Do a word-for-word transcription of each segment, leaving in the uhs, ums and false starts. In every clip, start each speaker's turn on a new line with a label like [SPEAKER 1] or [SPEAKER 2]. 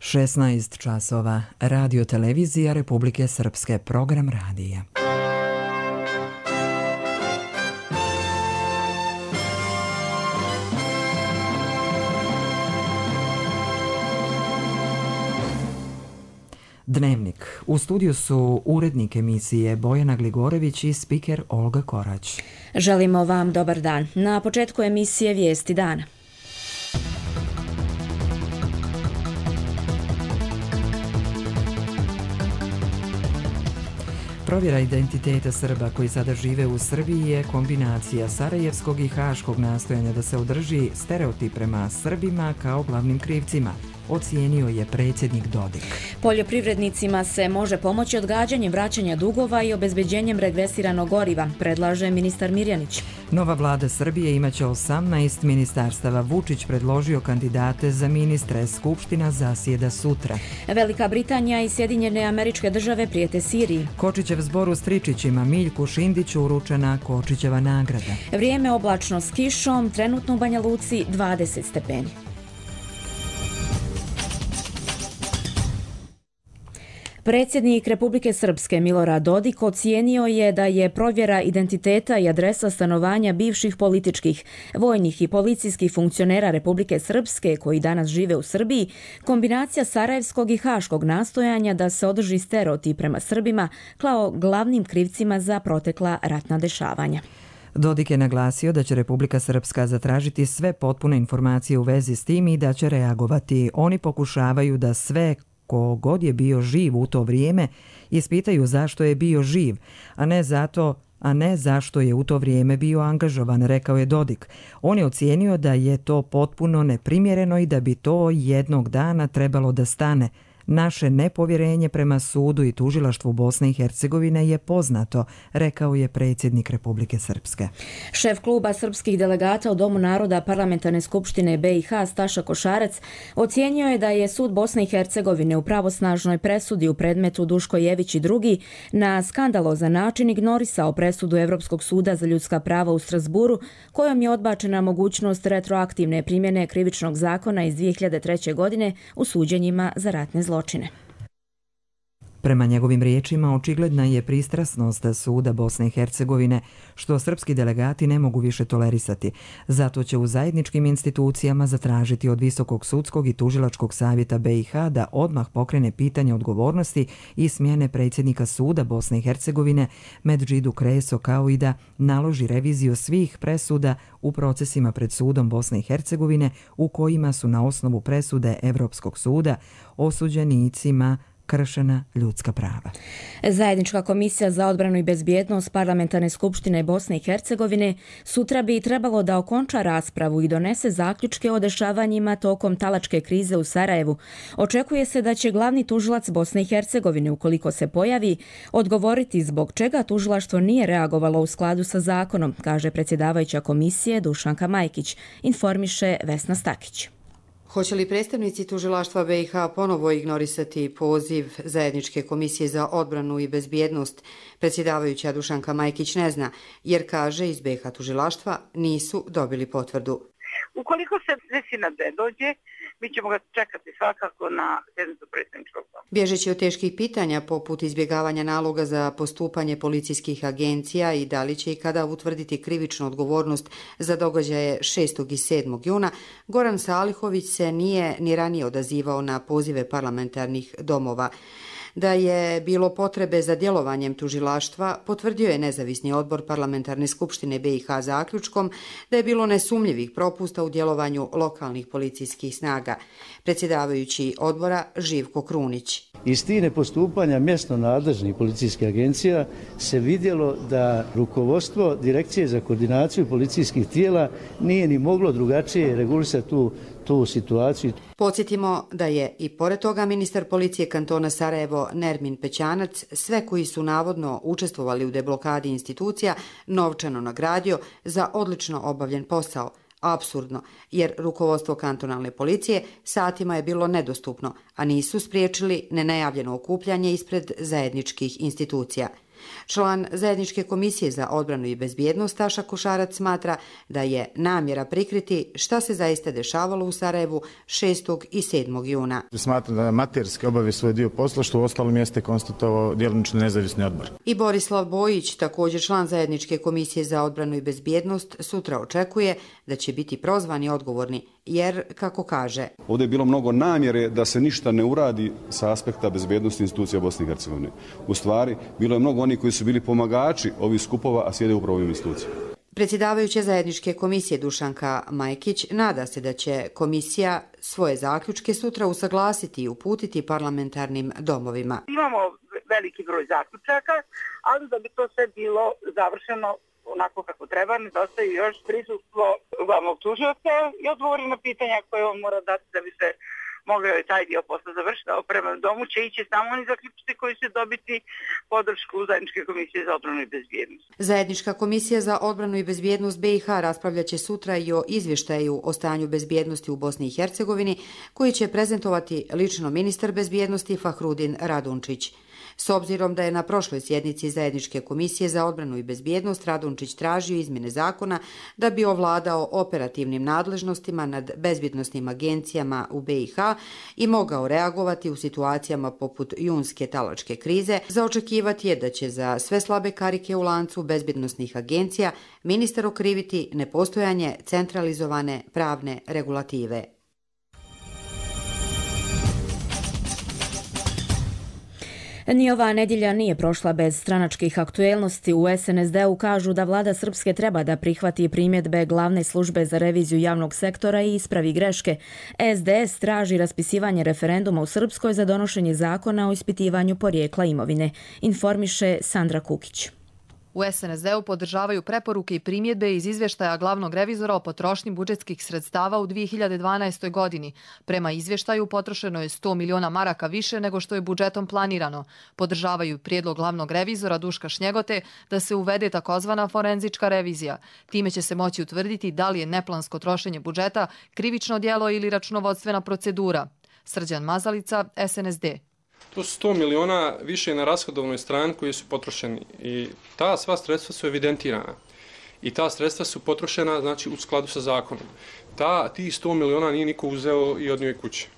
[SPEAKER 1] šesnaest časova. Radio televizija Republike Srpske. Program radija. Dnevnik. U studiju su urednik emisije Bojana Gligorević i spiker Olga Korać.
[SPEAKER 2] Želimo vam dobar dan. Na početku emisije Vijesti dana.
[SPEAKER 1] Provjera identiteta Srba koji sada žive u Srbiji je kombinacija sarajevskog i haškog nastojanja da se održi stereotip prema Srbima kao glavnim krivcima, ocijenio je predsjednik Dodik.
[SPEAKER 2] Poljoprivrednicima se može pomoći odgađanjem vraćanja dugova i obezbeđenjem regresiranog goriva, predlaže ministar Mirjanić.
[SPEAKER 1] Nova vlada Srbije imaće osamnaest ministarstava. Vučić predložio kandidate za ministre. Skupština zasjeda sutra.
[SPEAKER 2] Velika Britanija i Sjedinjene Američke Države prijete Siriji.
[SPEAKER 1] Kočićev zbor u Stričićima, Miljku Šindiću uručena Kočićeva nagrada.
[SPEAKER 2] Vrijeme oblačno s kišom, trenutno u Banja Luci dvadeset stepeni. Predsjednik Republike Srpske Milorad Dodik ocijenio je da je provjera identiteta i adresa stanovanja bivših političkih, vojnih i policijskih funkcionera Republike Srpske koji danas žive u Srbiji kombinacija sarajevskog i haškog nastojanja da se održi stereotip prema Srbima kao glavnim krivcima za protekla ratna dešavanja.
[SPEAKER 1] Dodik je naglasio da će Republika Srpska zatražiti sve potpune informacije u vezi s tim i da će reagovati. Oni pokušavaju da sve ko god je bio živ u to vrijeme ispitaju zašto je bio živ, a ne zato, a ne zašto je u to vrijeme bio angažovan, rekao je Dodik. On je ocijenio da je to potpuno neprimjereno i da bi to jednog dana trebalo da stane. Naše nepovjerenje prema sudu i tužilaštvu Bosne i Hercegovine je poznato, rekao je predsjednik Republike Srpske.
[SPEAKER 2] Šef kluba srpskih delegata u Domu naroda Parlamentarne skupštine B i H Staša Košarac ocijenio je da je sud Bosne i Hercegovine u pravosnažnoj presudi u predmetu Duško Jević i drugi na skandalozan način ignorisao presudu Evropskog suda za ljudska prava u Strasburu, kojom je odbačena mogućnost retroaktivne primjene krivičnog zakona iz dvije hiljade treće. godine u suđenjima za ratne zločine.
[SPEAKER 1] Prema njegovim riječima, očigledna je pristrasnost suda Bosne i Hercegovine, što srpski delegati ne mogu više tolerisati. Zato će u zajedničkim institucijama zatražiti od Visokog sudskog i tužilačkog savjeta B i H da odmah pokrene pitanje odgovornosti i smjene predsjednika suda Bosne i Hercegovine Medžidu Kreso, kao i da naloži reviziju svih presuda u procesima pred sudom Bosne i Hercegovine u kojima su na osnovu presude Evropskog suda osuđenicima kršena ljudska prava.
[SPEAKER 2] Zajednička komisija za odbranu i bezbjednost Parlamentarne skupštine Bosne i Hercegovine sutra bi trebalo da okonča raspravu i donese zaključke o dešavanjima tokom talačke krize u Sarajevu. Očekuje se da će glavni tužilac Bosne i Hercegovine, ukoliko se pojavi, odgovoriti zbog čega tužilaštvo nije reagovalo u skladu sa zakonom, kaže predsjedavajuća komisije Dušanka Majkić, informiše Vesna Stakić.
[SPEAKER 3] Hoće li predstavnici tužilaštva B i H ponovo ignorisati poziv Zajedničke komisije za odbranu i bezbjednost? Predsjedavajuća Dušanka Majkić ne zna, jer kaže iz B i H tužilaštva nisu dobili potvrdu.
[SPEAKER 4] Ukoliko se desi da ne dođe, mi ćemo ga čekati svakako na sjednicu predsjedničkog doma.
[SPEAKER 3] Bježeći od teških pitanja poput izbjegavanja naloga za postupanje policijskih agencija i da li će i kada utvrditi krivičnu odgovornost za događaje šestog i sedmog juna, Goran Salihović se nije ni ranije odazivao na pozive parlamentarnih domova. Da je bilo potrebe za djelovanjem tužilaštva, potvrdio je nezavisni odbor Parlamentarne skupštine B i H zaključkom da je bilo nesumnjivih propusta u djelovanju lokalnih policijskih snaga. Predsjedavajući odbora Živko Krunić.
[SPEAKER 5] Iz tih nepostupanja mjesno nadležnih policijskih agencija se vidjelo da rukovodstvo Direkcije za koordinaciju policijskih tijela nije ni moglo drugačije regulisati tu tu situaciju.
[SPEAKER 3] Podsjetimo da je i pored toga ministar policije kantona Sarajevo Nermin Pećanac sve koji su navodno učestvovali u deblokadi institucija novčano nagradio za odlično obavljen posao. Apsurdno, jer rukovodstvo kantonalne policije satima je bilo nedostupno, a nisu spriječili nenajavljeno okupljanje ispred zajedničkih institucija. Član Zajedničke komisije za odbranu i bezbjednost Taša Košarac smatra da je namjera prikriti šta se zaista dešavalo u Sarajevu šestog i sedmog juna.
[SPEAKER 6] Smatram da amaterski obavi svoj dio posla, što u ostalom jeste konstatovao djelomično nezavisni odbor.
[SPEAKER 3] I Borislav Bojić, također član Zajedničke komisije za odbranu i bezbjednost, sutra očekuje da će biti prozvani i odgovorni, jer, kako kaže,
[SPEAKER 7] ovdje je bilo mnogo namjere da se ništa ne uradi sa aspekta bezbjednosti institucija Bosne i Hercegovine. U stvari, bilo je mnogo onih koji su bili pomagači ovih skupova, a sjede upravo ovim institucijama.
[SPEAKER 3] Predsjedavajuća Zajedničke komisije Dušanka Majkić nada se da će komisija svoje zaključke sutra usaglasiti i uputiti parlamentarnim domovima.
[SPEAKER 4] Imamo veliki broj zaključaka, ali da bi to sve bilo završeno onako kako treba, nedostaje još prisustvo glavnog tužioca i odgovori na pitanja koje on mora dati da bi se mogao je taj dio posla završiti. Prema domu će ići samo oni zaključci koji će dobiti podršku Zajedničke komisije za odbranu i bezbjednost.
[SPEAKER 3] Zajednička komisija za odbranu i bezbjednost B i H raspravljaće sutra i o izvještaju o stanju bezbjednosti u Bosni i Hercegovini, koji će prezentovati lično ministar bezbjednosti Fahrudin Radunčić. S obzirom da je na prošloj sjednici Zajedničke komisije za odbranu i bezbjednost Radunčić tražio izmjene zakona da bi ovladao operativnim nadležnostima nad bezbjednosnim agencijama u B i H i mogao reagovati u situacijama poput junske talačke krize, za očekivati je da će za sve slabe karike u lancu bezbjednosnih agencija ministar okriviti nepostojanje centralizovane pravne regulative.
[SPEAKER 2] Ni ova nedjelja nije prošla bez stranačkih aktuelnosti. U S N S D-u kažu da vlada Srpske treba da prihvati primjedbe glavne službe za reviziju javnog sektora i ispravi greške. S D S traži raspisivanje referenduma u Srpskoj za donošenje zakona o ispitivanju porijekla imovine, informiše Sandra Kukić.
[SPEAKER 8] U S N S D-u podržavaju preporuke i primjedbe iz izvještaja glavnog revizora o potrošnji budžetskih sredstava u dvije hiljade dvanaestoj. godini. Prema izvještaju potrošeno je sto miliona maraka više nego što je budžetom planirano. Podržavaju prijedlog glavnog revizora Duška Šnjegote da se uvede takozvana forenzička revizija. Time će se moći utvrditi da li je neplansko trošenje budžeta krivično djelo ili računovodstvena procedura. Srđan Mazalica, S N S D.
[SPEAKER 9] To su sto miliona više na rashodovnoj strani koji su potrošeni i ta sva sredstva su evidentirana i ta sredstva su potrošena, znači, u skladu sa zakonom. Ta, ti sto miliona nije niko uzeo i odnio kući.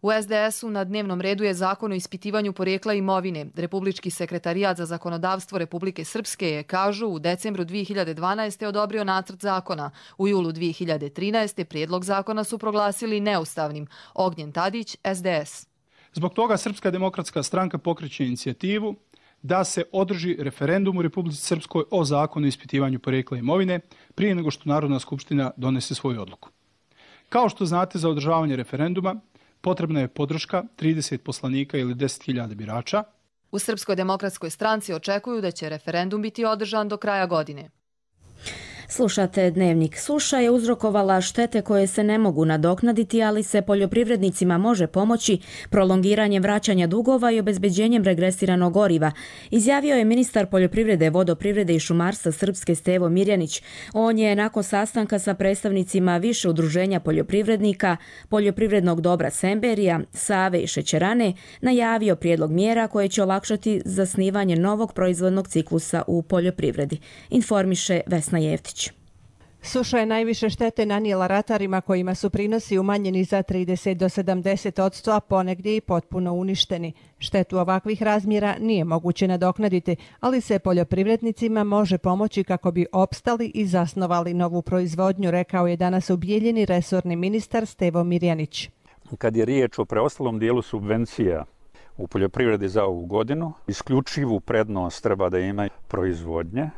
[SPEAKER 8] U S D S-u na dnevnom redu je zakon o ispitivanju porijekla imovine. Republički sekretarijat za zakonodavstvo Republike Srpske je, kažu, u decembru dvije hiljade dvanaeste. odobrio nacrt zakona. U julu dvije hiljade trinaeste. prijedlog zakona su proglasili neustavnim. Ognjen Tadić, S D S.
[SPEAKER 10] Zbog toga Srpska demokratska stranka pokreće inicijativu da se održi referendum u Republici Srpskoj o zakonu o ispitivanju porijekla imovine prije nego što Narodna skupština donese svoju odluku. Kao što znate, za održavanje referenduma potrebna je podrška trideset poslanika ili deset hiljada birača.
[SPEAKER 8] U Srpskoj demokratskoj stranci očekuju da će referendum biti održan do kraja godine.
[SPEAKER 2] Slušate Dnevnik. Suša je uzrokovala štete koje se ne mogu nadoknaditi, ali se poljoprivrednicima može pomoći prolongiranjem vraćanja dugova i obezbeđenjem regresiranog goriva, izjavio je ministar poljoprivrede, vodoprivrede i šumarstva Srpske Stevo Mirjanić. On je nakon sastanka sa predstavnicima više udruženja poljoprivrednika, poljoprivrednog dobra Semberija, Save i Šećerane najavio prijedlog mjera koje će olakšati zasnivanje novog proizvodnog ciklusa u poljoprivredi, informiše Vesna Jeftić.
[SPEAKER 11] Suša je najviše štete nanijela ratarima kojima su prinosi umanjeni za trideset do sedamdeset odsto, a ponegdje i potpuno uništeni. Štetu ovakvih razmjera nije moguće nadoknaditi, ali se poljoprivrednicima može pomoći kako bi opstali i zasnovali novu proizvodnju, rekao je danas u Bijeljini resorni ministar Stevo Mirjanić.
[SPEAKER 12] Kad je riječ o preostalom dijelu subvencija u poljoprivredi za ovu godinu, isključivu prednost treba da ima proizvodnje.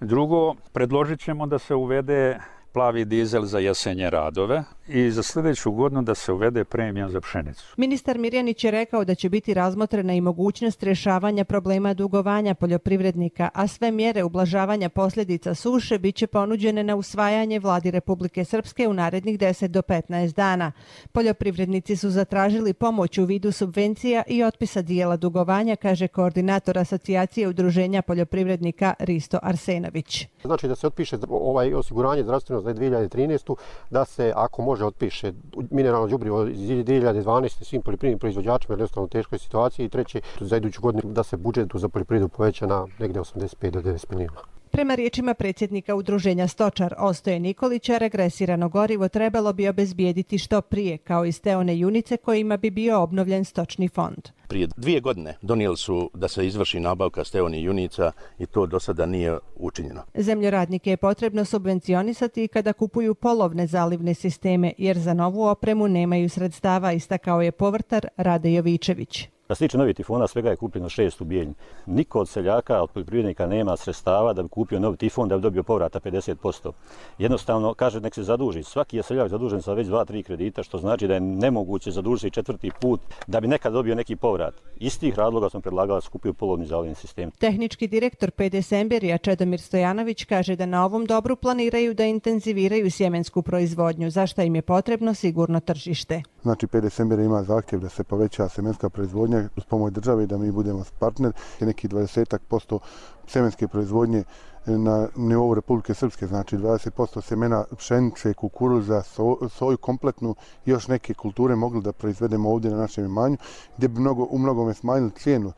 [SPEAKER 12] Drugo, predložit ćemo da se uvede plavi dizel za jesenje radove i za sljedeću godinu da se uvede premija za pšenicu.
[SPEAKER 11] Ministar Mirjanić je rekao da će biti razmotrena i mogućnost rješavanja problema dugovanja poljoprivrednika, a sve mjere ublažavanja posljedica suše biće ponuđene na usvajanje vladi Republike Srpske u narednih deset do petnaest dana. Poljoprivrednici su zatražili pomoć u vidu subvencija i otpisa dijela dugovanja, kaže koordinator Asocijacije udruženja poljoprivrednika Risto Arsenović.
[SPEAKER 13] Znači da se otpiše ovaj osiguranje zdravstveno za dvije hiljade trinaestu, da se ako može može otpiše mineralno đubrivo iz dvije hiljade dvanaeste svim poljoprivrednim proizvođačima, jednostavno u teškoj situaciji. I treće, za iduću godinu da se budžet za poljoprivredu poveća na negde osamdeset pet do devedeset milijuna.
[SPEAKER 11] Prema riječima predsjednika udruženja Stočar Ostoje Nikolića, regresirano gorivo trebalo bi obezbijediti što prije, kao i steone junice kojima bi bio obnovljen stočni fond.
[SPEAKER 14] Prije dvije godine donijeli su da se izvrši nabavka steoni junica i to do sada nije učinjeno.
[SPEAKER 11] Zemljoradnike je potrebno subvencionisati kada kupuju polovne zalivne sisteme, jer za novu opremu nemaju sredstava, istakao je povrtar Rade Jovičević.
[SPEAKER 15] Što se tiče novih tifona, svega je kupljeno šest u Bijeljini. Niko od seljaka, od poljoprivrednika nema sredstava da bi kupio novi tifon, da bi dobio povrata pedeset posto. Jednostavno, kaže nek se zaduži. Svaki je seljak zadužen sa već dva, tri kredita, što znači da je nemoguće zadužiti četvrti put da bi nekad dobio neki povrat. Iz tih razloga sam predlagala da se kupio polovni zalivni sistem.
[SPEAKER 11] Tehnički direktor P D Semberija Čedomir Stojanović kaže da na ovom dobru planiraju da intenziviraju sjemensku proizvodnju, za što im je potrebno sigurno tržište.
[SPEAKER 16] Znači, P D Semberija ima zahtjev da se poveća sjemenska proizvodnja uz pomoć države, da mi budemo partner. Neki dvadeset posto sjemenske proizvodnje na nivou Republike Srpske, znači dvadeset posto sjemena pšenice, kukuruza, so, soju kompletnu i još neke kulture mogli da proizvedemo ovdje na našem imanju, gdje bi mnogo, u mnogome smanjili cijenu.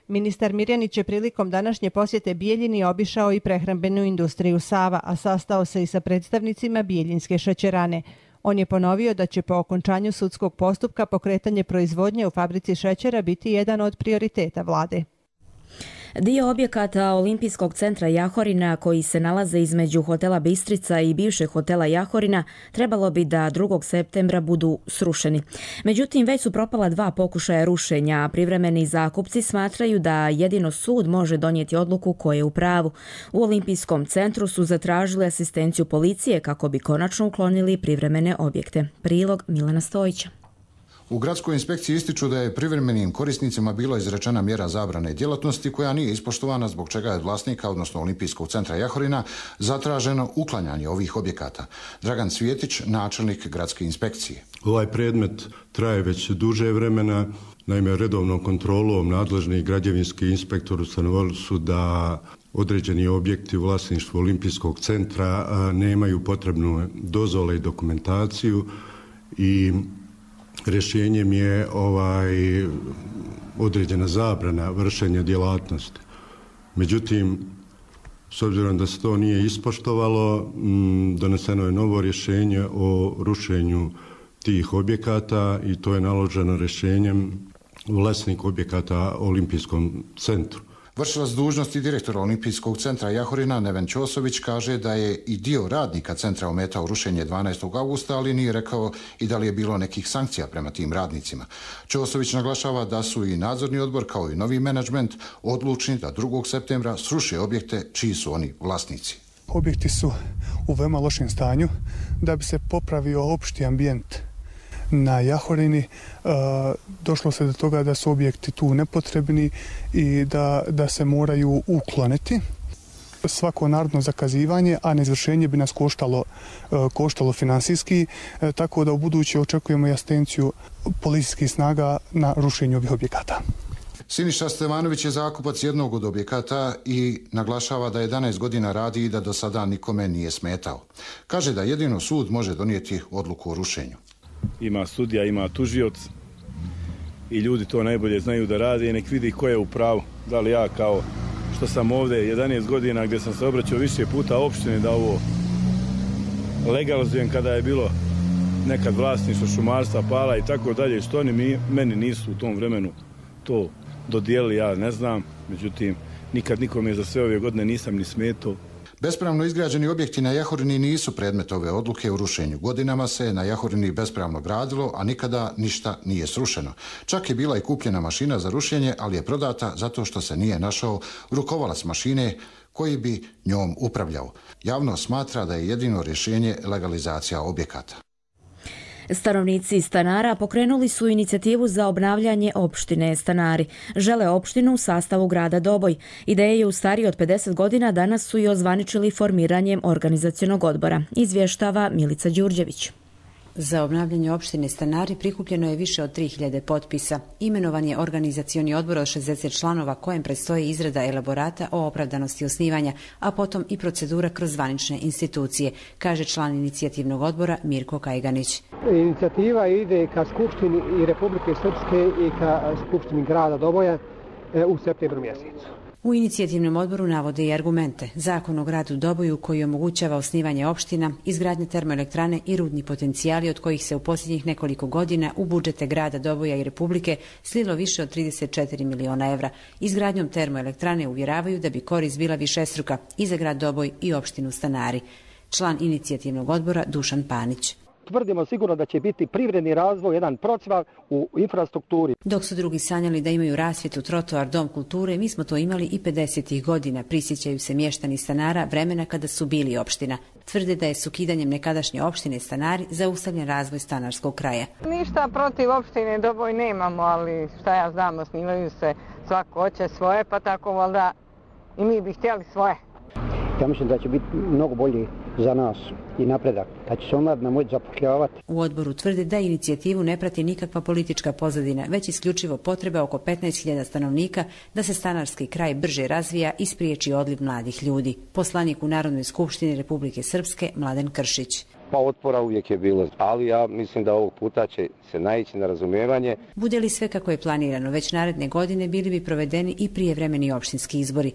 [SPEAKER 11] Ministar Mirjanić je prilikom današnje posjete Bijeljini obišao i prehrambenu industriju Sava, a sastao se i sa predstavnicima Bijeljinske šećerane. On je ponovio da će po okončanju sudskog postupka pokretanje proizvodnje u fabrici šećera biti jedan od prioriteta vlade.
[SPEAKER 2] Dio objekata Olimpijskog centra Jahorina koji se nalaze između hotela Bistrica i bivšeg hotela Jahorina trebalo bi da drugog septembra budu srušeni. Međutim, već su propala dva pokušaja rušenja, a privremeni zakupci smatraju da jedino sud može donijeti odluku ko je u pravu. U Olimpijskom centru su zatražili asistenciju policije kako bi konačno uklonili privremene objekte. Prilog Milana Stojića.
[SPEAKER 17] U gradskoj inspekciji ističu da je privremenim korisnicima bilo izrečena mjera zabrane djelatnosti koja nije ispoštovana, zbog čega je od vlasnika, odnosno Olimpijskog centra Jahorina, zatraženo uklanjanje ovih objekata. Dragan Cvjetić, načelnik gradske inspekcije.
[SPEAKER 18] Ovaj predmet traje već duže vremena. Naime, redovnom kontrolom nadležni građevinski inspektor ustanovili su da određeni objekti u vlasništvu Olimpijskog centra nemaju potrebnu dozvole i dokumentaciju i rješenjem je ovaj određena zabrana vršenja djelatnosti. Međutim, s obzirom da se to nije ispoštovalo, doneseno je novo rješenje o rušenju tih objekata i to je naloženo rješenjem vlasnik objekata Olimpijskom centru.
[SPEAKER 17] Vršilac dužnosti direktora Olimpijskog centra Jahorina Neven Ćosović kaže da je i dio radnika centra ometao rušenje dvanaestog augusta, ali nije rekao i da li je bilo nekih sankcija prema tim radnicima. Ćosović naglašava da su i nadzorni odbor kao i novi menadžment odlučni da drugog septembra sruše objekte čiji su oni vlasnici.
[SPEAKER 19] Objekti su u veoma lošem stanju. Da bi se popravio opšti ambijent na Jahorini, došlo se do toga da su objekti tu nepotrebni i da, da se moraju ukloniti. Svako narodno zakazivanje, a neizvršenje bi nas koštalo, koštalo finansijski, tako da u buduće očekujemo asistenciju policijskih snaga na rušenju ovih objekata.
[SPEAKER 17] Siniša Stevanović je zakupac jednog od objekata i naglašava da jedanaest godina radi i da do sada nikome nije smetao. Kaže da jedino sud može donijeti odluku o rušenju.
[SPEAKER 20] Ima sudija, ima tužioc i ljudi to najbolje znaju da rade i nek vidi ko je u pravu. Da li ja kao što sam ovdje jedanaest godina gdje sam se obraćao više puta opštine da ovo legalizujem kada je bilo nekad vlasništvo šumarstva, pala i tako dalje, što oni mi, meni nisu u tom vremenu to dodijelili, ja ne znam. Međutim, nikad nikome za sve ove godine nisam ni smetao.
[SPEAKER 17] Bespravno izgrađeni objekti na Jahorini nisu predmet ove odluke o rušenju. Godinama se na Jahorini bespravno gradilo, a nikada ništa nije srušeno. Čak je bila i kupljena mašina za rušenje, ali je prodata zato što se nije našao rukovalac mašine koji bi njom upravljao. Javno smatra da je jedino rješenje legalizacija objekata.
[SPEAKER 2] Stanovnici Stanara pokrenuli su inicijativu za obnavljanje opštine Stanari. Žele opštinu u sastavu grada Doboj. Ideje je u stariji od pedeset godina, danas su i ozvaničili formiranjem organizacionog odbora. Izvještava Milica Đurđević.
[SPEAKER 21] Za obnavljanje opštine Stanari prikupljeno je više od tri hiljade potpisa. Imenovan je organizacioni odbor od šezdeset članova kojem predstoji izrada elaborata o opravdanosti osnivanja, a potom i procedura kroz zvanične institucije, kaže član inicijativnog odbora Mirko Kajganić.
[SPEAKER 22] Inicijativa ide ka Skupštini i Republike Srpske i ka Skupštini grada Doboja u septembru mjesecu.
[SPEAKER 21] U inicijativnom odboru navode i argumente. Zakon o gradu Doboju koji omogućava osnivanje opština, izgradnje termoelektrane i rudni potencijali od kojih se u posljednjih nekoliko godina u budžete grada Doboja i Republike slilo više od trideset četiri miliona evra. Izgradnjom termoelektrane uvjeravaju da bi korist bila višestruka i za grad Doboj i opštinu Stanari. Član inicijativnog odbora Dušan Panić.
[SPEAKER 22] Tvrdimo sigurno da će biti privredni razvoj, jedan procvat u infrastrukturi.
[SPEAKER 21] Dok su drugi sanjali da imaju rasvjetu, trotoar, dom kulture, mi smo to imali i pedesetih godina. Prisjećaju se mještani Stanara vremena kada su bili opština. Tvrde da je s ukidanjem nekadašnje opštine Stanari zaustavljen razvoj stanarskog kraja.
[SPEAKER 23] Ništa protiv opštine Doboj nemamo, ali šta ja znam, osnivaju se, svako hoće svoje, pa tako valjda i mi bi htjeli svoje.
[SPEAKER 22] Ja mislim da će biti mnogo bolji za nas i napredak, da će se omladina moći zapošljavati.
[SPEAKER 21] U odboru tvrde da inicijativu ne prati nikakva politička pozadina, već isključivo potreba oko petnaest hiljada stanovnika da se stanarski kraj brže razvija i spriječi odliv mladih ljudi. Poslanik u Narodnoj skupštini Republike Srpske Mladen Kršić.
[SPEAKER 24] Pa otpora uvijek je bilo, ali ja mislim da ovog puta će se naići na razumijevanje.
[SPEAKER 21] Bude li sve kako je planirano, već naredne godine bili bi provedeni i prijevremeni opštinski izbori.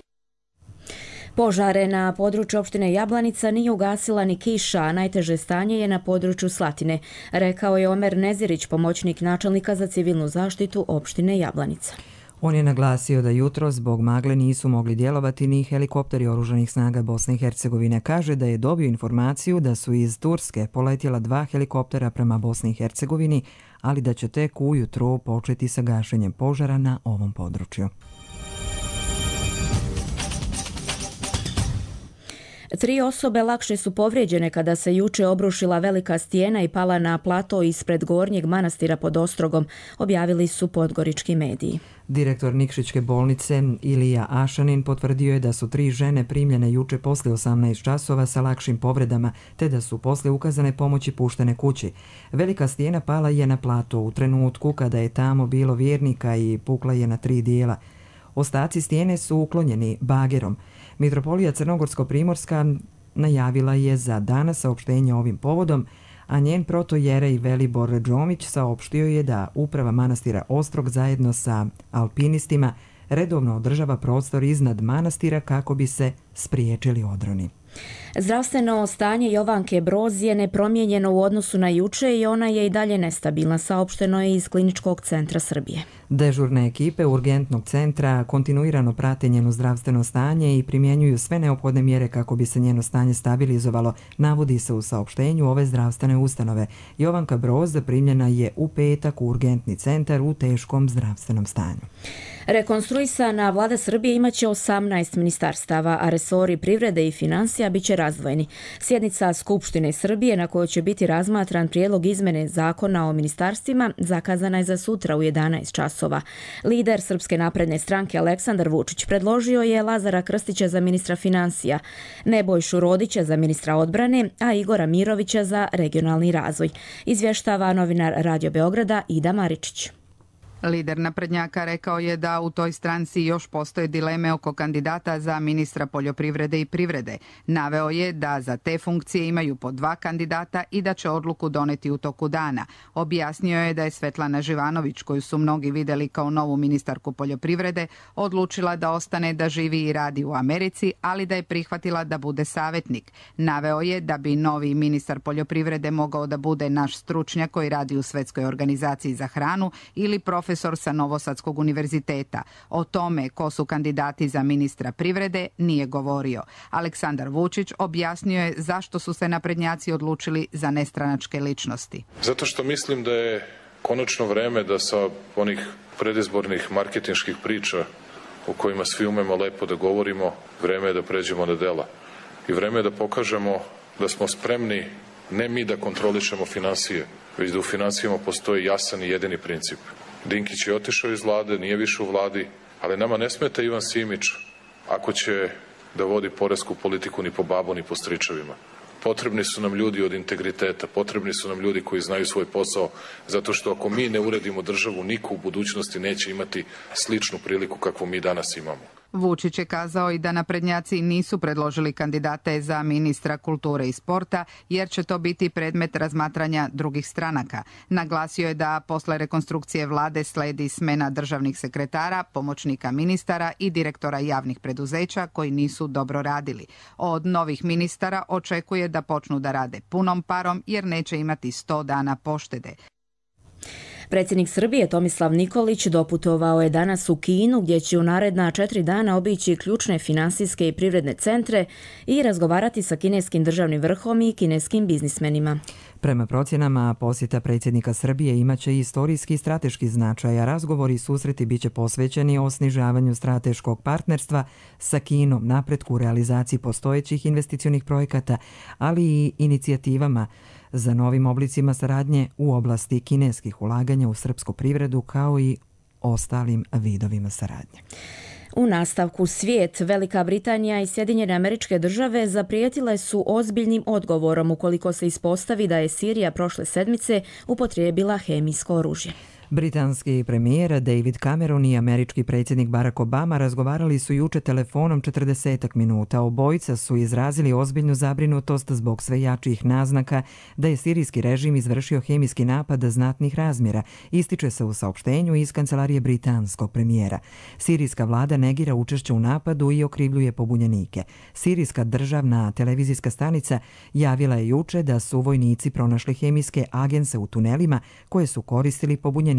[SPEAKER 2] Požare na području opštine Jablanica nije ugasila ni kiša, a najteže stanje je na području Slatine, rekao je Omer Nezirić, pomoćnik načelnika za civilnu zaštitu opštine Jablanica.
[SPEAKER 1] On je naglasio da jutro zbog magle nisu mogli djelovati ni helikopteri oružanih snaga Bosne i Hercegovine. Kaže da je dobio informaciju da su iz Turske poletjela dva helikoptera prema Bosni i Hercegovini, ali da će tek ujutro početi sa gašenjem požara na ovom području.
[SPEAKER 2] Tri osobe lakše su povrijeđene kada se juče obrušila velika stijena i pala na plato ispred Gornjeg manastira pod Ostrogom, objavili su podgorički mediji.
[SPEAKER 1] Direktor Nikšićke bolnice Ilija Ašanin potvrdio je da su tri žene primljene juče posle osamnaest časova sa lakšim povredama, te da su posle ukazane pomoći puštene kući. Velika stijena pala je na plato u trenutku kada je tamo bilo vjernika i pukla je na tri dijela. Ostaci stijene su uklonjeni bagerom. Mitropolija Crnogorsko-Primorska najavila je za danas saopštenje ovim povodom, a njen protojerej Velibor Džomić saopštio je da uprava manastira Ostrog zajedno sa alpinistima redovno održava prostor iznad manastira kako bi se spriječili odroni.
[SPEAKER 2] Zdravstveno stanje Jovanke Broz je nepromijenjeno u odnosu na juče i ona je i dalje nestabilna, saopšteno je iz Kliničkog centra Srbije.
[SPEAKER 1] Dežurne ekipe urgentnog centra kontinuirano prate njeno zdravstveno stanje i primjenjuju sve neophodne mjere kako bi se njeno stanje stabilizovalo, navodi se u saopštenju ove zdravstvene ustanove. Jovanka Broz primljena je u petak u urgentni centar u teškom zdravstvenom stanju.
[SPEAKER 2] Rekonstruisana vlada Srbije imaće osamnaest ministarstava, a resori privrede i financija biće razdvojeni. Sjednica Skupštine Srbije na kojoj će biti razmatran prijedlog izmene zakona o ministarstvima zakazana je za sutra u jedanaest časova. Lider Srpske napredne stranke Aleksandar Vučić predložio je Lazara Krstića za ministra financija, Nebojšu Rodića za ministra odbrane, a Igora Mirovića za regionalni razvoj. Izvještava novinar Radio Beograda Ida Maričić.
[SPEAKER 25] Lider naprednjaka rekao je da u toj stranci još postoje dileme oko kandidata za ministra poljoprivrede i privrede. Naveo je da za te funkcije imaju po dva kandidata i da će odluku doneti u toku dana. Objasnio je da je Svetlana Živanović, koju su mnogi vidjeli kao novu ministarku poljoprivrede, odlučila da ostane da živi i radi u Americi, ali da je prihvatila da bude savjetnik. Naveo je da bi novi ministar poljoprivrede mogao da bude naš stručnjak koji radi u Svetskoj organizaciji za hranu ili profesor profesor sa Novosadskog univerziteta. O tome ko su kandidati za ministra privrede nije govorio. Aleksandar Vučić objasnio je zašto su se naprednjaci odlučili za nestranačke ličnosti.
[SPEAKER 26] Zato što mislim da je konačno vreme da sa onih predizbornih marketinških priča o kojima svi umemo lepo da govorimo, vreme je da pređemo na dela. I vreme je da pokažemo da smo spremni ne mi da kontrolišemo finansije, već da u finansijama postoji jasan i jedini princip. Dinkić je otišao iz vlade, nije više u vladi, ali nama ne smeta Ivan Simić ako će da vodi poresku politiku ni po babu ni po stričevima. Potrebni su nam ljudi od integriteta, potrebni su nam ljudi koji znaju svoj posao, zato što ako mi ne uredimo državu, niko u budućnosti neće imati sličnu priliku kakvu mi danas imamo.
[SPEAKER 25] Vučić je kazao i da naprednjaci nisu predložili kandidate za ministra kulture i sporta, jer će to biti predmet razmatranja drugih stranaka. Naglasio je da posle rekonstrukcije vlade sledi smena državnih sekretara, pomoćnika ministara i direktora javnih preduzeća koji nisu dobro radili. Od novih ministara očekuje da počnu da rade punom parom jer neće imati sto dana poštede.
[SPEAKER 2] Predsjednik Srbije Tomislav Nikolić doputovao je danas u Kinu gdje će u naredna četiri dana obići ključne finansijske i privredne centre i razgovarati sa kineskim državnim vrhom i kineskim biznismenima.
[SPEAKER 1] Prema procjenama, posjeta predsjednika Srbije imaće i istorijski i strateški značaj, a razgovori i susreti biće posvećeni o snižavanju strateškog partnerstva sa Kinom, napretku u realizaciji postojećih investicionih projekata, ali i inicijativama za novim oblicima saradnje u oblasti kineskih ulaganja u srpsku privredu kao i ostalim vidovima saradnje.
[SPEAKER 2] U nastavku svijet, Velika Britanija i Sjedinjene Američke Države zaprijetile su ozbiljnim odgovorom ukoliko se ispostavi da je Sirija prošle sedmice upotrijebila hemijsko oružje.
[SPEAKER 1] Britanski premijer David Cameron i američki predsjednik Barack Obama razgovarali su juče telefonom četrdesetak minuta. Obojica su izrazili ozbiljnu zabrinutost zbog sve jačih naznaka da je sirijski režim izvršio hemijski napad znatnih razmjera, ističe se u saopštenju iz kancelarije britanskog premijera. Sirijska vlada negira učešće u napadu i okrivljuje pobunjenike. Sirijska državna televizijska stanica javila je juče da su vojnici pronašli hemijske agense u tunelima koje su koristili pobunjenici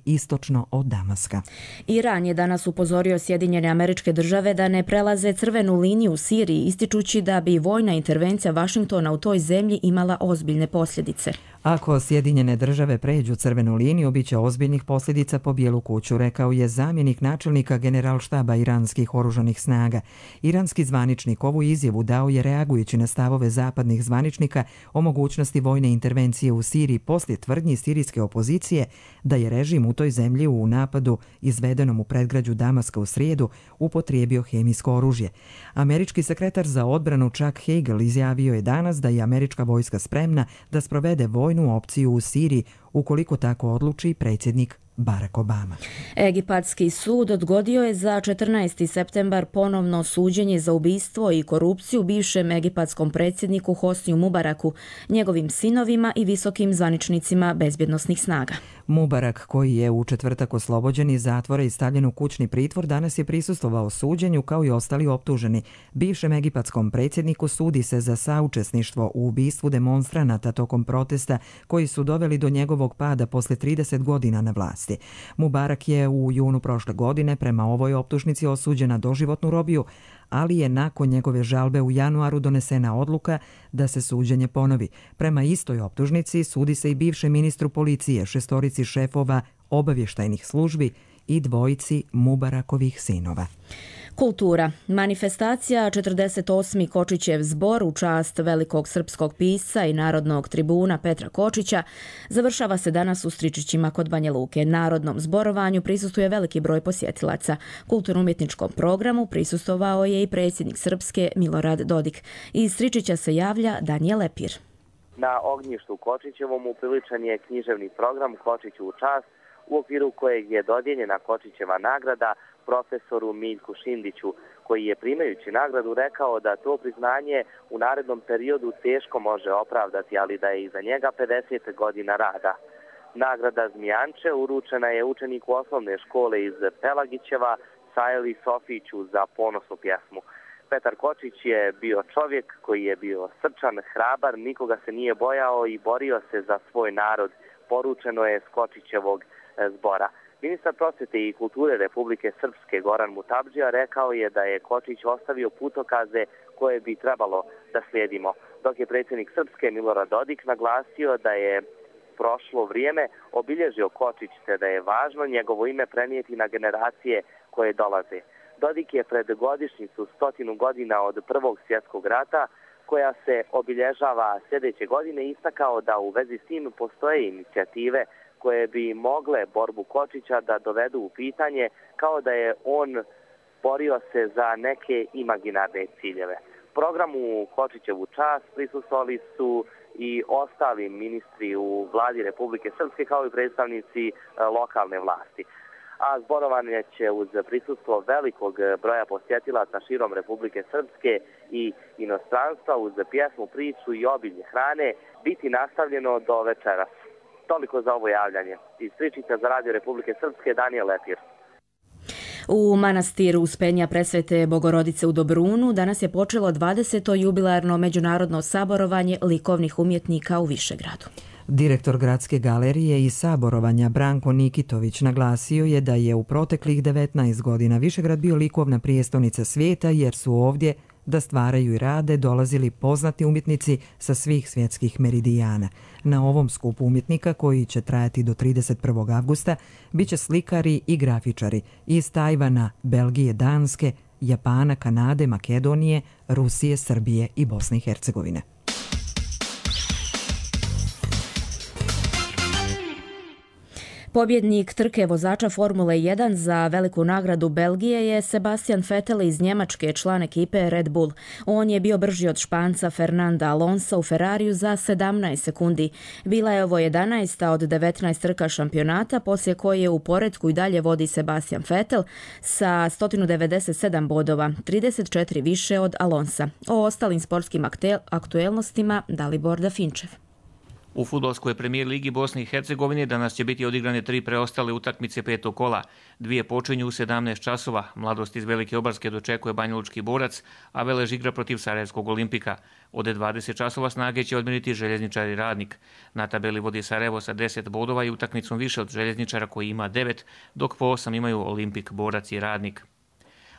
[SPEAKER 1] istočno od Damaska.
[SPEAKER 2] Iran je danas upozorio Sjedinjene Američke Države da ne prelaze crvenu liniju u Siriji, ističući da bi vojna intervencija Vašingtona u toj zemlji imala ozbiljne posljedice.
[SPEAKER 1] Ako Sjedinjene Države pređu crvenu liniju, bit će ozbiljnih posljedica po Bijelu kuću, rekao je zamjenik načelnika generalštaba iranskih oružanih snaga. Iranski zvaničnik ovu izjavu dao je reagujući na stavove zapadnih zvaničnika o mogućnosti vojne intervencije u Siriji poslije tvrdnji sirijske opozicije da je režim u toj zemlji u napadu izvedenom u predgrađu Damaska u srijedu upotrijebio hemijsko oružje. Američki sekretar za odbranu Chuck Hagel izjavio je danas da je američka vojska spremna da sprovede vojnu opciju u Siriji ukoliko tako odluči predsjednik Barack Obama.
[SPEAKER 2] Egipatski sud odgodio je za četrnaesti septembar ponovno suđenje za ubistvo i korupciju bivšem egipatskom predsjedniku Hosniju Mubaraku, njegovim sinovima i visokim zvaničnicima bezbjednosnih snaga.
[SPEAKER 1] Mubarak, koji je u četvrtak oslobođen iz zatvora i stavljen u kućni pritvor, danas je prisustvovao suđenju kao i ostali optuženi. Bivšem egipatskom predsjedniku sudi se za saučesništvo u ubistvu demonstranata tokom protesta koji su doveli do njegovog pada posle trideset godina na vlasti. Mubarak je u junu prošle godine prema ovoj optužnici osuđen na doživotnu robiju, ali je nakon njegove žalbe u januaru donesena odluka da se suđenje ponovi. Prema istoj optužnici sudi se i bivšem ministru policije, šestorici šefova obavještajnih službi i dvojici Mubarakovih sinova.
[SPEAKER 2] Kultura. Manifestacija četrdeset osmi Kočićev zbor u čast velikog srpskog pisca i narodnog tribuna Petra Kočića završava se danas u Stričićima kod Banja Luke. Narodnom zborovanju prisustuje veliki broj posjetilaca. Kulturno-umjetničkom programu prisustovao je i predsjednik Srpske Milorad Dodik. Iz Stričića se javlja Danijel Lepir.
[SPEAKER 3] Na ognjištu Kočićevom upriličan je književni program Kočiću u čast, u okviru kojeg je dodijeljena Kočićeva nagrada profesoru Miljku Šindiću, koji je primajući nagradu rekao da to priznanje u narednom periodu teško može opravdati, ali da je iza njega pedeset godina rada. Nagrada Zmijanče uručena je učeniku osnovne škole iz Pelagićeva, Sajeli Sofiću, za ponosnu pjesmu. Petar Kočić je bio čovjek koji je bio srčan, hrabar, nikoga se nije bojao i borio se za svoj narod, poručeno je s Kočićevog zbora. Ministar prosvjete i kulture Republike Srpske Goran Mutabdžija rekao je da je Kočić ostavio putokaze koje bi trebalo da slijedimo, dok je predsjednik Srpske Milorad Dodik naglasio da je prošlo vrijeme obilježio Kočić te da je važno njegovo ime prenijeti na generacije koje dolaze. Dodik je pred godišnjicu stotinu godina od Prvog svjetskog rata, koja se obilježava sljedeće godine, istakao da u vezi s tim postoje inicijative koje bi mogle borbu Kočića da dovedu u pitanje, kao da je on borio se za neke imaginarne ciljeve. Programu Kočićevu čast prisustvovali su i ostali ministri u vladi Republike Srpske kao i predstavnici lokalne vlasti. A zborovanje će uz prisustvo velikog broja posjetilaca širom Republike Srpske i inostranstva uz pjesmu, priču i obilje hrane biti nastavljeno do večeras. Toliko za ovo javljanje. Iz Pričica za Radio Republike Srpske, Danijel Lepir.
[SPEAKER 2] U manastiru Uspenja Presvete Bogorodice u Dobrunu danas je počelo dvadeseto jubilarno međunarodno saborovanje likovnih umjetnika u Višegradu.
[SPEAKER 1] Direktor Gradske galerije i saborovanja Branko Nikitović naglasio je da je u proteklih devetnaest godina Višegrad bio likovna prijestonica svijeta jer su ovdje da stvaraju i rade dolazili poznati umjetnici sa svih svjetskih meridijana. Na ovom skupu umjetnika, koji će trajati do trideset prvog avgusta, bit će slikari i grafičari iz Tajvana, Belgije, Danske, Japana, Kanade, Makedonije, Rusije, Srbije i Bosne i Hercegovine.
[SPEAKER 2] Pobjednik trke vozača Formule jedan za veliku nagradu Belgije je Sebastian Vettel iz Njemačke, član ekipe Red Bull. On je bio brži od Španca Fernanda Alonsa u Ferrariju za sedamnaest sekundi. Bila je ovo jedanaesta od devetnaest trka šampionata, poslije koje u poretku i dalje vodi Sebastian Vettel sa sto devedeset sedam bodova, trideset četiri više od Alonsa. O ostalim sportskim aktuelnostima Dalibor Dafinčev.
[SPEAKER 4] U fudbalskoj premijer ligi Bosne i Hercegovine danas će biti odigrane tri preostale utakmice petog kola. Dvije počinju u sedamnaest časova. Mladost iz Velike Obarske dočekuje Banjalučki Borac, a Velež igra protiv Sarajevskog Olimpika. Od dvadeset časova Snage će odmiriti Željezničar i Radnik. Na tabeli vodi Sarajevo sa deset bodova i utakmicom više od Željezničara koji ima devet, dok po osam imaju Olimpik, Borac i Radnik.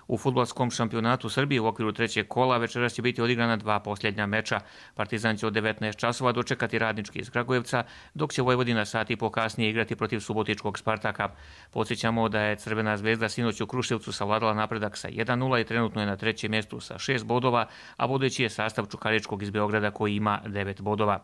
[SPEAKER 4] U fudbalskom šampionatu Srbije u okviru trećeg kola večeras će biti odigrana dva posljednja meča. Partizan će od devetnaest časova dočekati Radnički iz Kragujevca, dok će Vojvodina sat i po kasnije igrati protiv Subotičkog Spartaka. Podsjećamo da je Crvena zvezda sinoć u Kruševcu savladala napredak sa jedan nula i trenutno je na trećem mjestu sa šest bodova, a vodeći je sastav Čukaričkog iz Beograda koji ima devet bodova.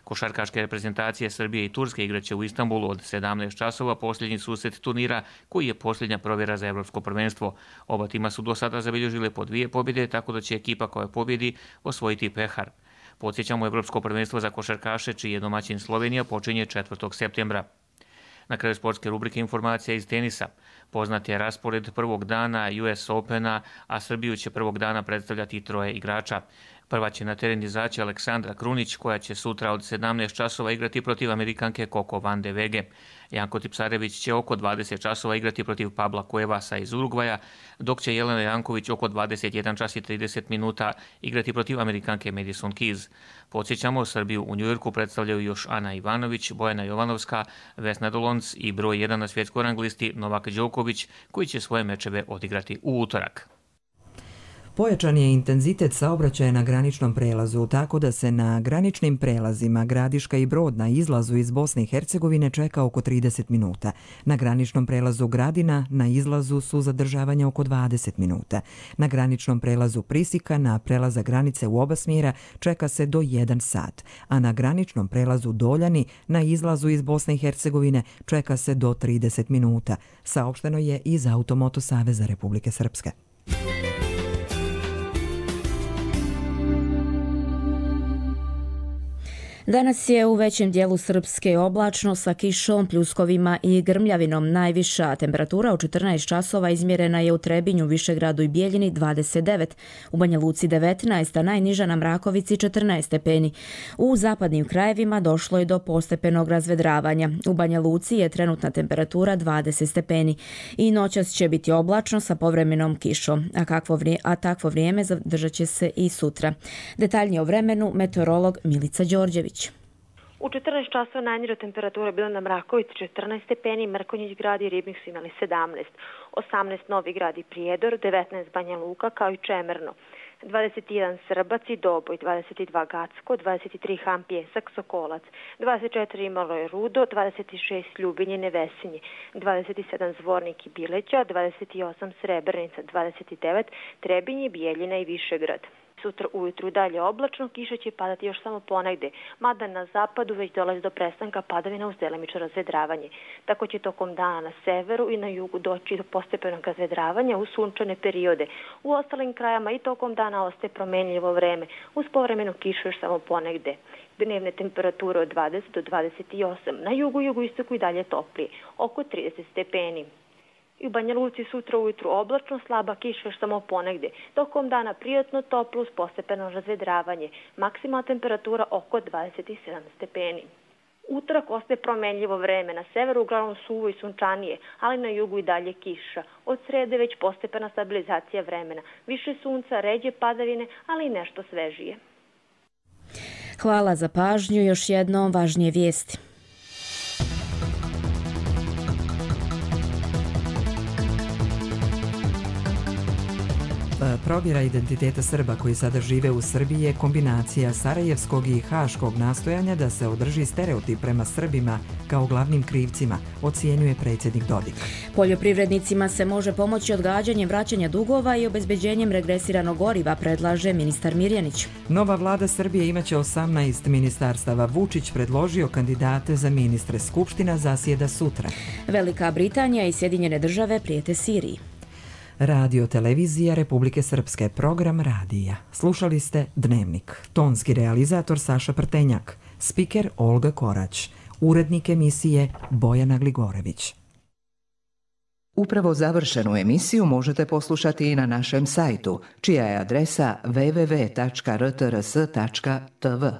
[SPEAKER 4] Košarkaške reprezentacije Srbije i Turske igraće u Istanbulu od sedamnaest časova posljednji susret turnira koji je posljednja provjera za evropsko prvenstvo. Oba tima su do sada zabilježile po dvije pobjede, tako da će ekipa koja pobjedi osvojiti pehar. Podsjećamo, evropsko prvenstvo za košarkaše, čiji je domaćin Slovenija, počinje četvrtog septembra. Na kraju sportske rubrike informacija iz tenisa. Poznat je raspored prvog dana U S Opena, a Srbiju će prvog dana predstavljati troje igrača. Prva će na teren izaći Aleksandra Krunić, koja će sutra od sedamnaest časova igrati protiv Amerikanke Coco Van de Vege. Janko Tipsarević će oko dvadeset časova igrati protiv Pabla Cuevasa iz Urugvaja, dok će Jelena Janković oko dvadeset jedan čas i trideset minuta igrati protiv Amerikanke Madison Keys. Podsjećamo, Srbiju u Njujorku predstavljaju još Ana Ivanović, Bojana Jovanovska, Vesna Dolonc i broj jedan na svjetskoj rang listi Novak Đoković, koji će svoje mečeve odigrati u utorak.
[SPEAKER 1] Pojačan je intenzitet saobraćaja na graničnom prelazu, tako da se na graničnim prelazima Gradiška i Brod na izlazu iz Bosne i Hercegovine čeka oko trideset minuta. Na graničnom prelazu Gradina na izlazu su zadržavanja oko dvadeset minuta. Na graničnom prelazu Prisika na prelaza granice u oba smjera čeka se do jedan sat, a na graničnom prelazu Doljani na izlazu iz Bosne i Hercegovine čeka se do trideset minuta. Saopšteno je iz Automoto Saveza Republike Srpske.
[SPEAKER 2] Danas je u većem dijelu Srpske oblačno sa kišom, pljuskovima i grmljavinom. Najviša temperatura u četrnaest časova izmjerena je u Trebinju, Višegradu i Bijeljini dvadeset devet, u Banja Luci devetnaest, a najniža na Mrakovici četrnaest stepeni. U zapadnim krajevima došlo je do postepenog razvedravanja. U Banja Luci je trenutna temperatura dvadeset stepeni i noćas će biti oblačno sa povremenom kišom, a, kakvo vrije, a takvo vrijeme zadržat će se i sutra. Detaljnije o vremenu meteorolog Milica Đorđević.
[SPEAKER 5] U četrnaest časova najniža temperatura bila na Mrakovici četrnaest stepeni, Mrkonjić Grad i Ribnik su imali sedamnaest, osamnaest Novi Grad i Prijedor, devetnaest Banja Luka kao i Čemerno, dvadeset jedan Srbac i Doboj, dvadeset dva Gacko, dvadeset tri Han Pjesak, Sokolac, dvadeset četiri Malo je Rudo, dvadeset šest Ljubinje, Nevesinje, dvadeset sedam Zvornik i Bileća, dvadeset osam Srebrnica, dvadeset devet Trebinje, Bijeljina i Višegrad. Sutra ujutru dalje oblačno, kiša će padati još samo ponegde, mada na zapadu već dolazi do prestanka padavina uz delimično razvedravanje. Tako će tokom dana na severu i na jugu doći do postepenog razvedravanja u sunčane periode. U ostalim krajama i tokom dana ostaje promenljivo vreme, uz povremenu kišu još samo ponegde. Dnevne temperature od dvadeset do dvadeset osam, na jugu i jugoistoku i dalje toplije, oko trideset stepeni. I u Banja Luci sutra ujutru oblačno, slaba kiša još samo ponegde. Tokom dana prijatno toplo uz postepeno razvedravanje. Maksimalna temperatura oko dvadeset sedam stepeni. Utorak ostaje promenljivo vreme. Na severu uglavnom suvo i sunčanije, ali na jugu i dalje kiša. Od srede već postepena stabilizacija vremena. Više sunca, ređe padavine, ali i nešto svežije.
[SPEAKER 2] Hvala za pažnju. Još jednom važnije vijesti.
[SPEAKER 1] Provjera identiteta Srba koji sada žive u Srbiji je kombinacija sarajevskog i haškog nastojanja da se održi stereotip prema Srbima kao glavnim krivcima, ocjenjuje predsjednik Dodik.
[SPEAKER 2] Poljoprivrednicima se može pomoći odgađanjem vraćanja dugova i obezbeđenjem regresiranog goriva, predlaže ministar Mirjanić.
[SPEAKER 1] Nova vlada Srbije imaće osamnaest ministarstava. Vučić predložio kandidate za ministre. Skupština zasjeda sutra.
[SPEAKER 2] Velika Britanija i Sjedinjene države prijete Siriji.
[SPEAKER 1] Radio televizija Republike Srpske, program radija. Slušali ste Dnevnik. Tonski realizator Saša Prtenjak, spiker Olga Korać, urednik emisije Bojana Gligorević.
[SPEAKER 6] Upravo završenu emisiju možete poslušati i na našem sajtu, čija je adresa w w w tačka r t r s tačka t v.